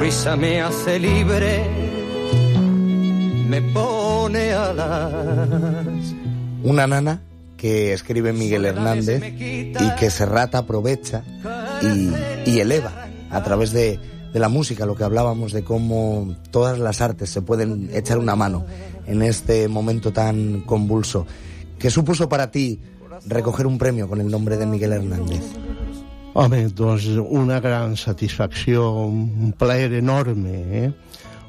risa me hace libre, me pone alas. Una nana que escribe Miguel Hernández y que Serrat aprovecha y eleva a través de la música, lo que hablábamos de cómo todas las artes se pueden echar una mano en este momento tan convulso. ¿Qué supuso para ti recoger un premio con el nombre de Miguel Hernández? Home, doncs una gran satisfacció, un plaer enorme,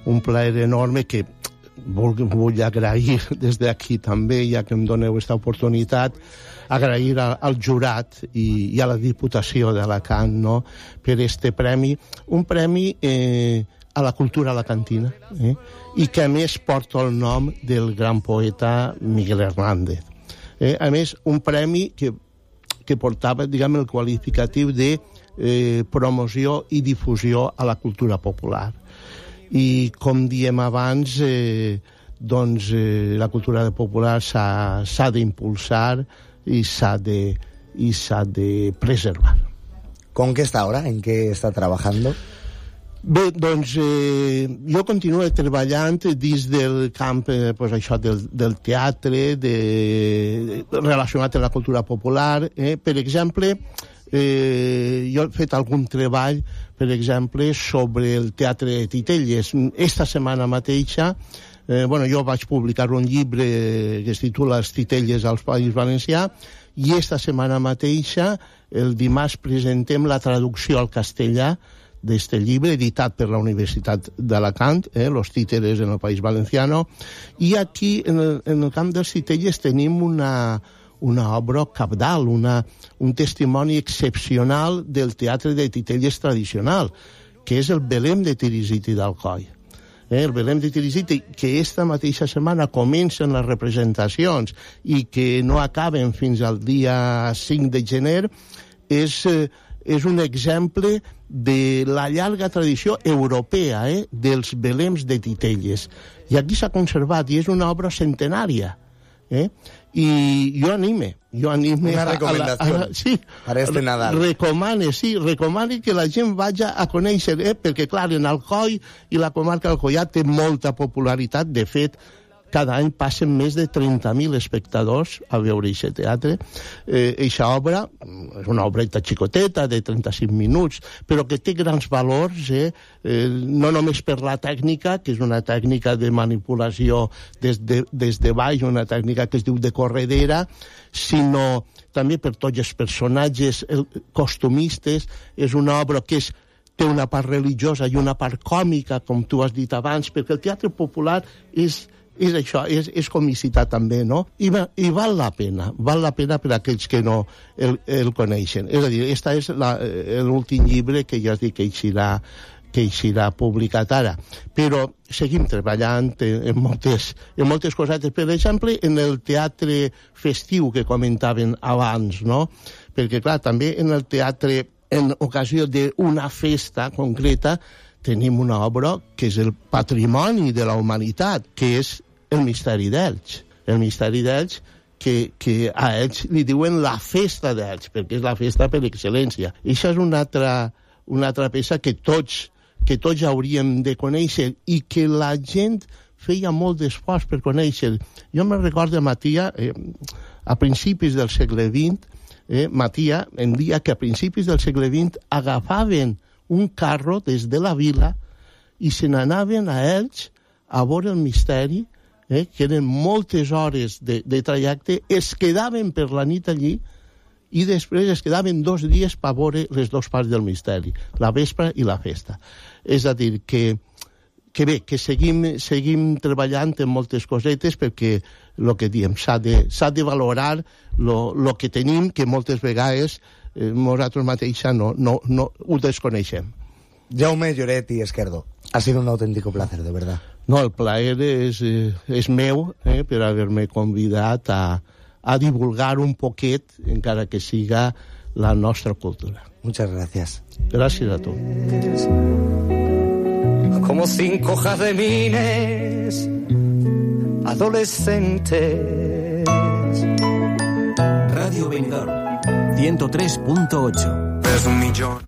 un plaer enorme que vull agrair des d'aquí també, ja que em doneu aquesta oportunitat, agrair al jurat i a la Diputació d'Alacant, no?, per este premi, un premi a la cultura alacantina, i que a més porta el nom del gran poeta Miguel Hernández. A més, un premi que portava, diguem, el qualificatiu de promoció i difusió a la cultura popular. I, com diem abans, doncs la cultura popular s'ha d'impulsar i s'ha de preservar. ¿Con qué está ahora? ¿En qué está trabajando? Bé, doncs jo continuo treballant dins del camp pues, això del teatre, relacionat amb la cultura popular. Per exemple, jo he fet algun treball, per exemple, sobre el teatre de Titelles. Esta setmana mateixa, jo vaig publicar un llibre que es titula Els Titelles al País Valencià, i esta setmana mateixa, el dimarts, presentem la traducció al castellà d'este llibre, editat per la Universitat d'Alacant, Los Títeres en el País Valenciano, i aquí, en el camp dels Titelles, tenim una obra cabdal, un testimoni excepcional del teatre de Titelles tradicional, que és el Belém de Tirisiti d'Alcoi. El Belém de Tirisiti, que esta mateixa setmana comencen les representacions i que no acaben fins al dia 5 de gener, és un exemple de la llarga tradició europea dels Beléms de Titelles. I aquí s'ha conservat, i és una obra centenària. I jo anime una recomendació per este Nadal. Recomane que la gent vaja a conèixer, perquè clar, en Alcoi i la comarca d'Alcoià té molta popularitat. De fet, cada any passen més de 30.000 espectadors a veure aquest teatre. Eixa obra és una obreta xicoteta de 35 minuts, però que té grans valors, no només per la tècnica, que és una tècnica de manipulació des de baix, una tècnica que es diu de corredera, sinó també per tots els personatges costumistes. És una obra que té una part religiosa i una part còmica, com tu has dit abans, perquè el teatre popular és això, és comicitat també, no? I val la pena per a aquells que no el coneixen. És a dir, este és l'últim llibre que ja has dit que eixirà publicat ara. Però seguim treballant en moltes cosetes. Per exemple, en el teatre festiu que comentaven abans, no? Perquè, clar, també en el teatre, en ocasió d'una festa concreta, tenim una obra que és el patrimoni de la humanitat, que és el Misteri d'Elx. El Misteri d'Elx, que a Elx li diuen la festa d'Elx, perquè és la festa per excel·lència. I això és una altra peça que tots hauríem de conèixer i que la gent feia molt d'esforç per conèixer. Jo me'n recordo, Matia, a principis del segle XX, Matia em deia que a principis del segle XX agafaven un carro des de la vila i se n'anaven a Elx a veure el misteri, que eren moltes hores de trajecte, es quedaven per la nit allí i després es quedaven 2 dies per veure les 2 parts del misteri, la vespre i la festa. És a dir, que bé, que seguim treballant en moltes cosetes, perquè el que diem, s'ha de valorar el que tenim, que moltes vegades nosaltres mateixos no ho desconeixem. Jaume Lloret i Esquerdo, ha sido un auténtico placer, de verdad. No, el plaer és meu per haver-me convidat a divulgar un poquet, encara que siga la nostra cultura. Muchas gracias. Gràcies a tu. Como 5 jazmines adolescentes. Radio Benidorm 103.8. Es 1 millón.